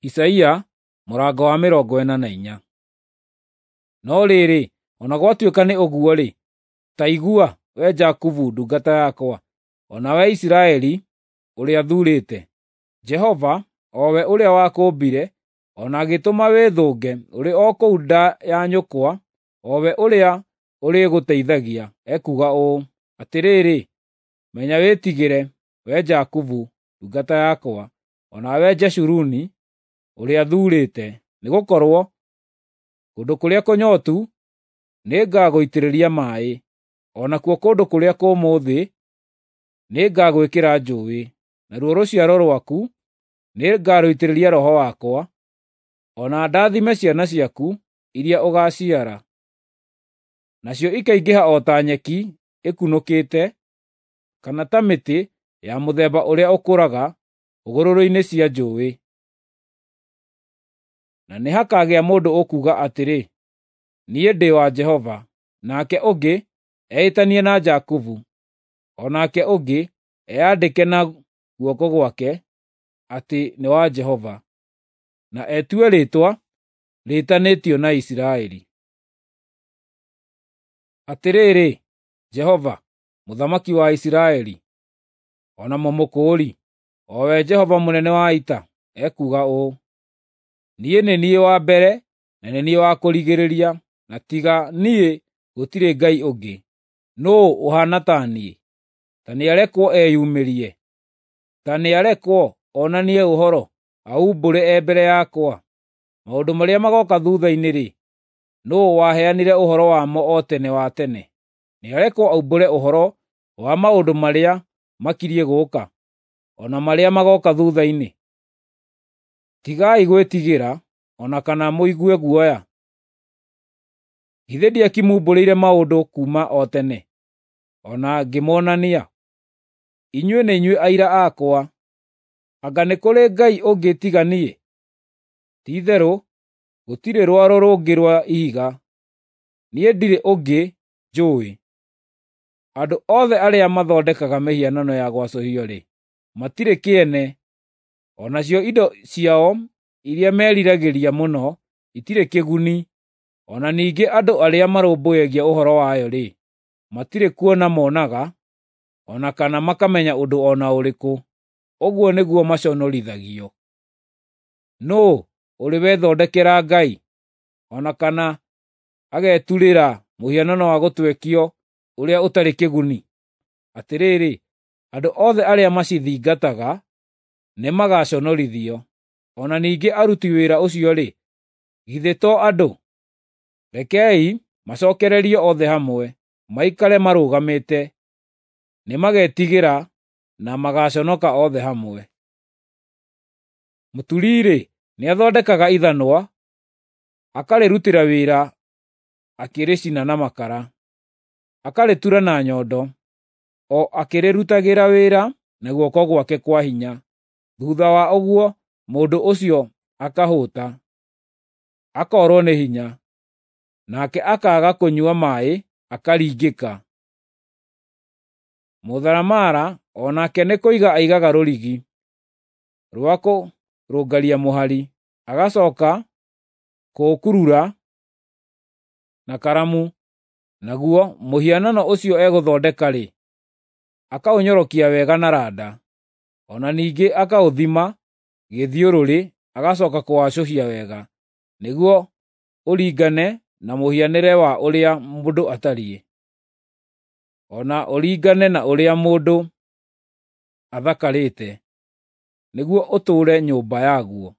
Isaia mũrango wa 44. No rĩrĩ, o na gwatuĩka nĩ ũguo-rĩ, ta igua, wee Jakubu ndungata yakwa, o na wee Isiraeli ũrĩa thuurĩte. Jehova, o we ũrĩa wakũũmbire, o na agĩtũma wĩthũnge ũrĩ o kũu nda ya nyũkwa, o we ũrĩa ũrĩgũteithagia, ekuuga ũũ: Atĩrĩrĩ, menya wĩtigĩre, wee Jakubu ndungata yakwa, o nawe Jeshuruni ũrĩa thuurĩte, nĩgũkorwo kũndũ kũrĩa kũnyootu nĩngagũitĩrĩria maaĩ, o nakuo kũndũ kũrĩa kũmũ thĩ nĩngagwĩkĩra njũũĩ. Naruo rũciaro rwaku nĩngarũitĩrĩria Roho wakwa, o na ndathime ciana ciaku iria ũgaaciara. Nacio ikaingĩha o ta nyeki ĩkunũkĩte, kana ta mĩtĩ ya mũthemba ũrĩa ũkũraga hũgũrũrũ-inĩ cia njũũĩ. Na nĩhakagĩa mũndũ ũkuuga atĩrĩ, ‘Niĩ ndĩ wa Jehova,’ nake ũngĩ eĩtanie na Jakubu, o nake ũngĩ eyandĩke na guoko gwake atĩ nĩ wa Jehova, na etue rĩĩtwa rĩĩtanĩtio na Isiraeli. Atĩrĩrĩ, Jehova, Mũthamaki wa Isiraeli, o na Mũmũkũũri, o we Jehova mũnene wa ita, ekuuga ũũ: Niĩ nĩ niĩ wa mbere na nĩ niĩ wa kũrigĩrĩria, na tiga niĩ gũtirĩ Ngai ũngĩ. Nũũ ũhaana ta niĩ? Ta nĩarekwo eyumĩrie. Ta nĩarekwo onanie ũhoro, aumbũre e mbere yakwa. Maũndũ marĩa magooka thuutha-inĩ-rĩ, nũũ waheanire ũhoro wamo o tene wa tene? Nĩarekwo aumbũre ũhoro wa maũndũ marĩa makiriĩ gũũka, o na marĩa magooka thuutha-inĩ. Tigai gwĩtigĩra, o na kana mũigue guoya. Githĩ ndiakimumbũrĩire maũndũ kuuma o tene, o na ngĩmonania? Inyuĩ nĩ inyuĩ aira akwa. Anga nĩ kũrĩ Ngai ũngĩ tiga niĩ? Ti-itherũ gũtirĩ rwaro rũngĩ rwa ihiga, niĩ ndirĩ ũngĩ njũũĩ. Andũ othe arĩa mathondekaga mĩhianano ya gwacũhio-rĩ, matirĩ kĩene, o nacio indo ciao iria meriragĩria mũno itirĩ kĩguni. O na ningĩ andũ arĩa marũmbũyagia ũhoro wayo-rĩ, matirĩ kuona monaga, o na kana makamenya ũndũ o na ũrĩkũ. Ũguo nĩguo maconorithagio. Nũũ ũrĩ wethondekera ngai, o na kana ageturĩra mũhianano wa gũtwekio ũrĩa ũtarĩ kĩguni? Atĩrĩrĩ, andũ othe arĩa macithingataga nĩmagaconorithio. O na ningĩ aruti wĩra ũcio-rĩ, githĩ to andũ? Rekei macookererio othe hamwe, maikare marũgamĩte. Nĩmagetigĩra na magaaconoka othe hamwe. Mũturi-rĩ, nĩathondekaga ithanwa, akarĩrutĩra wĩra akĩrĩcina na makara, akarĩtura na nyondo, o akĩrĩrutagĩra wĩra na guoko gwake kwa hinya. Thuutha wa ũguo mũndũ ũcio akahũũta, akoorwo nĩ hinya, nake akaaga kũnyua maaĩ akaringĩka. Mũtharamara o nake nĩ kũiga aigaga rũrigi rwa kũrũngaria mũhari, agacooka kũũkurura na karamu, naguo mũhianano ũcio egũthondeka-rĩ, akaũnyorokia wega na randa. O na ningĩ akaũthima gĩthiũrũrĩ agacooka kũwacũhia wega, nĩguo ũringane na mũhianĩre wa ũrĩa mũndũ atariĩ, o na ũringane na ũrĩa mũndũ athakarĩte, nĩguo ũtũũre nyũmba yaguo.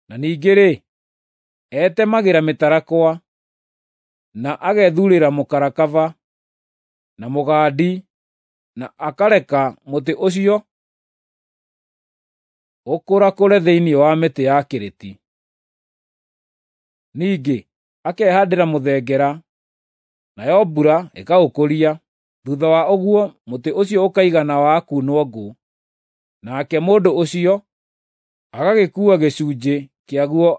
Na ningĩ-rĩ, etemagĩra mĩtarakwa, na agethuurĩra mũkarakaba na mũgandi, na akareka mũtĩ ũcio ũkũrakũre thĩinĩ wa mĩtĩ ya kĩrĩti. Ningĩ akehaandĩra mũthengera, nayo mbura ĩkaũkũria. Thuutha wa ũguo mũtĩ ũcio ũkaigana wa kuunwo ngũ, nake mũndũ ũcio agagĩkuua gĩcunjĩ kĩaguo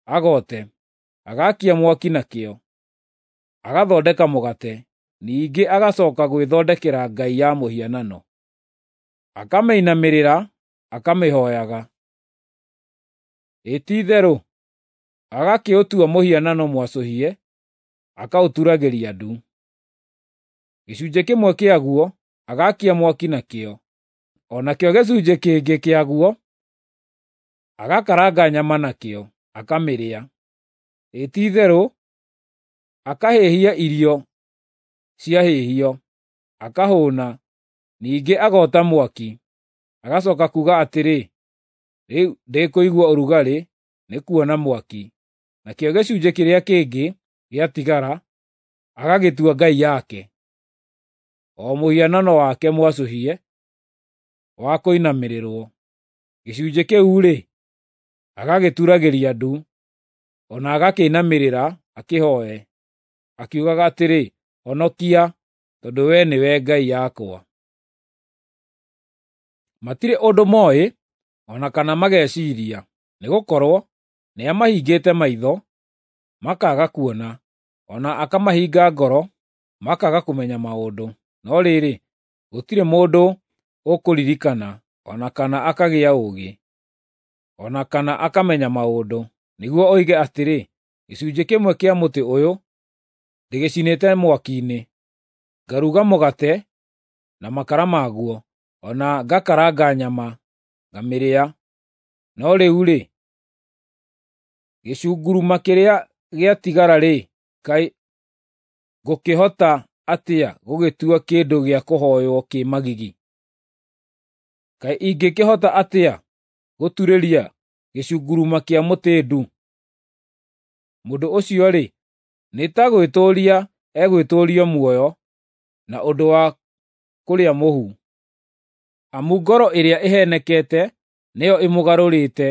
agote, agaakia mwaki nakĩo, agathondeka mũgate. Ningĩ agacooka gwĩthondekera ngai ya mũhianano, akamĩinamĩrĩra akamĩhooyaga. Ĩ ti-itherũ, agakĩũtua mũhianano mwacũhie, akaũturagĩria ndu. Gĩcunjĩ kĩmwe kĩaguo agaakia mwaki nakĩo, o nakĩo gĩcunjĩ kĩngĩ kĩaguo agakaranga nyama nakĩo, akamĩrĩa. Ĩ ti-itherũ, akahĩhia irio ciahĩhio, akahũũna, ningĩ agota mwaki, agacoka kuuga atĩrĩ, “Rĩu ndĩkũigua ũrugarĩ nĩ kuona mwaki.” Nakĩo gĩcunjĩ kĩrĩa kĩngĩ gĩatigara agagĩtua ngai yake, o mũhianano wake mwacũhie wa kũinamĩrĩrwo. Gĩcunjĩ kĩu-rĩ, agagĩturagĩria ndu, o na agakĩinamĩrĩra akĩhooe, akiugaga atĩrĩ, “Honokia, tondũ wee nĩwe ngai yakwa.” Matirĩ ũndũ mooĩ o na kana mageciiria, nĩgũkorwo nĩamahingĩte maitho, makaaga kuona, o na akamahinga ngoro, makaaga kũmenya maũndũ. No rĩrĩ, gũtirĩ mũndũ ũkũririkana, o na kana akagĩa ũũgĩ, o na kana akamenya maũndũ, nĩguo oige atĩrĩ, “Gĩcunjĩ kĩmwe kĩa mũtĩ ũyũ ndĩgĩcinĩte mwaki-inĩ, ngaruga mũgate na makara maguo, o na ngakaranga nyama ngamĩrĩa. No rĩu-rĩ, gĩcunguruma kĩrĩa gĩatigara-rĩ, kaĩ ngũkĩhota atĩa gũgĩtua kĩndũ gĩa kũhooywo kĩ magigi? Kaĩ ingĩkĩhota atĩa gũturĩria gĩcunguruma kĩa mũtĩ ndu?” Mũndũ ũcio-rĩ, nĩ ta gwĩtũũria egwĩtũũria muoyo na ũndũ wa kũrĩa mũhu. Amu ngoro ĩrĩa ĩheenekete nĩyo ĩmũgarũrĩte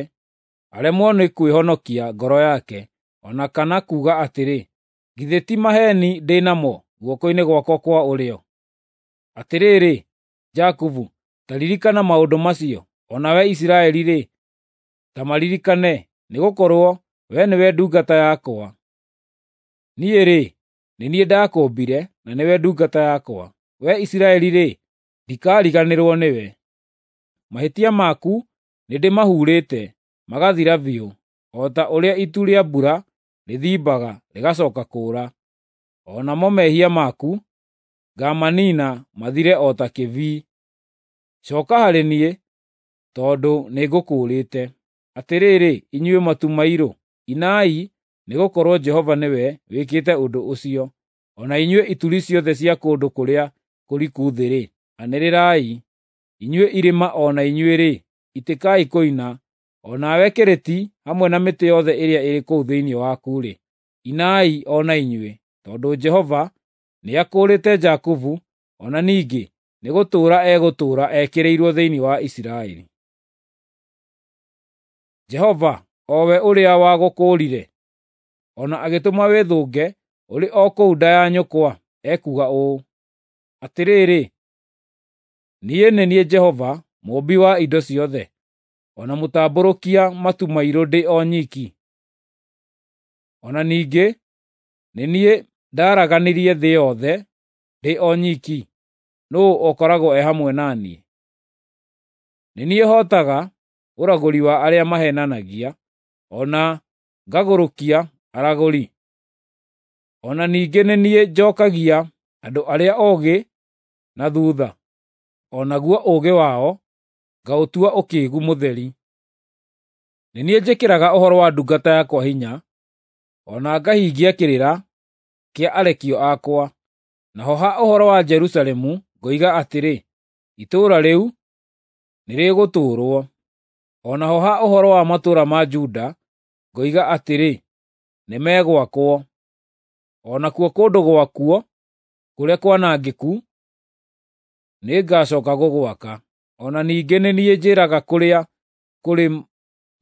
aremwo nĩ kwĩhonokia ngoro yake, o na kana kuuga atĩrĩ, “Githĩ ti maheeni ndĩ namo guoko-inĩ gwakwa kwa ũrĩo?” Atĩrĩrĩ, Jakubu, ta ririkana maũndũ macio, o nawe Isiraeli-rĩ, ta maririkane, nĩgũkorwo wee nĩwe ndungata yakwa. Niĩ-rĩ, nĩ niĩ ndakũũmbire, na nĩwe ndungata yakwa. Wee Isiraeli-rĩ, ndikariganĩrwo nĩwe. Mahĩtia maku nĩndĩmahuurĩte, magathira biũ, o ta ũrĩa itu rĩa mbura rĩthimbaga rĩgacooka kũũra. O namo mehia maku ngaamaniina mathire o ta kĩbii. Cooka harĩ niĩ, tondũ nĩngũkũũrĩte. Atĩrĩrĩ, inyuĩ matu mairũ, inai, nĩgũkorwo Jehova nĩwe wĩkĩte ũndũ ũcio. O na inyuĩ ituri ciothe cia kũndũ kũrĩa kũriku thĩ-rĩ, anĩrĩrai. Inyuĩ irĩma o na inyuĩ-rĩ, itĩkai kũina, o nawe kĩrĩti hamwe na mĩtĩ yothe ĩrĩa ĩrĩ kũu thĩinĩ waku-rĩ, inai o na inyuĩ, tondũ Jehova nĩakũũrĩte Jakubu, o na ningĩ nĩgũtũũra egũtũũra ekĩrĩirwo thĩinĩ wa Isiraeli. Jehova, o we ũrĩa wagũkũũrire, o na agĩtũma wĩthũnge ũrĩ o kũu nda ya nyũkwa, ekuuga ũũ: “Atĩrĩrĩ, niĩ nĩ niĩ Jehova, Mũũmbi wa indo ciothe, o na mũtambũrũkia matu mairũ ndĩ o nyiki. O na ningĩ nĩ niĩ ndaaraganirie thĩ yothe ndĩ o nyiki. Nũũ ũkoragwo e hamwe na niĩ? Nĩ niĩ hootaga ũragũri wa arĩa maheenanagia, o na ngagũrũkia aragũri. O na ningĩ nĩ niĩ njookagia andũ arĩa oogĩ na thuutha, o naguo ũũgĩ wao ngaũtua ũkĩĩgu mũtheri. Nĩ niĩ njĩkĩraga ũhoro wa ndungata yakwa hinya, o na ngahingia kĩrĩra kĩa arekio akwa. Naho ha ũhoro wa Jerusalemu ngoiga atĩrĩ, ‘Itũũra rĩu nĩrĩgũtũũrwo,’ o naho ha ũhoro wa matũũra ma Juda ngoiga atĩrĩ, ‘Nĩmegwakwo,’ o nakuo kũndũ gwakuo kũrĩa kwanangĩku nĩngacooka gũgwaka. O na ningĩ nĩ niĩ njĩĩraga kũrĩa kũrĩ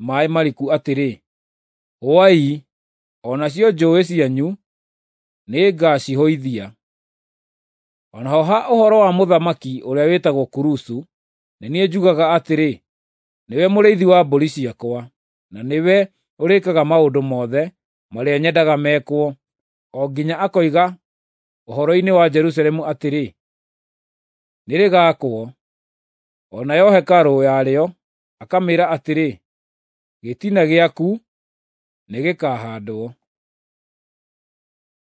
maaĩ mariku atĩrĩ, ‘Hũai,’ o nacio njũũĩ cianyu nĩngacihũithia. O naho ha ũhoro wa mũthamaki ũrĩa wĩtagwo Kurusu, nĩ niĩ njugaga atĩrĩ, ‘Nĩwe mũrĩithi wa mbũri ciakwa, na nĩwe ũrĩĩkaga maũndũ mothe marĩa nyendaga mekwo, o nginya akoiga ũhoro-inĩ wa Jerusalemu atĩrĩ, “Nĩrĩgaakwo,” o nayo hekarũ yarĩo akamĩĩra atĩrĩ, Gĩtina gĩaku nĩgĩkahaandwo.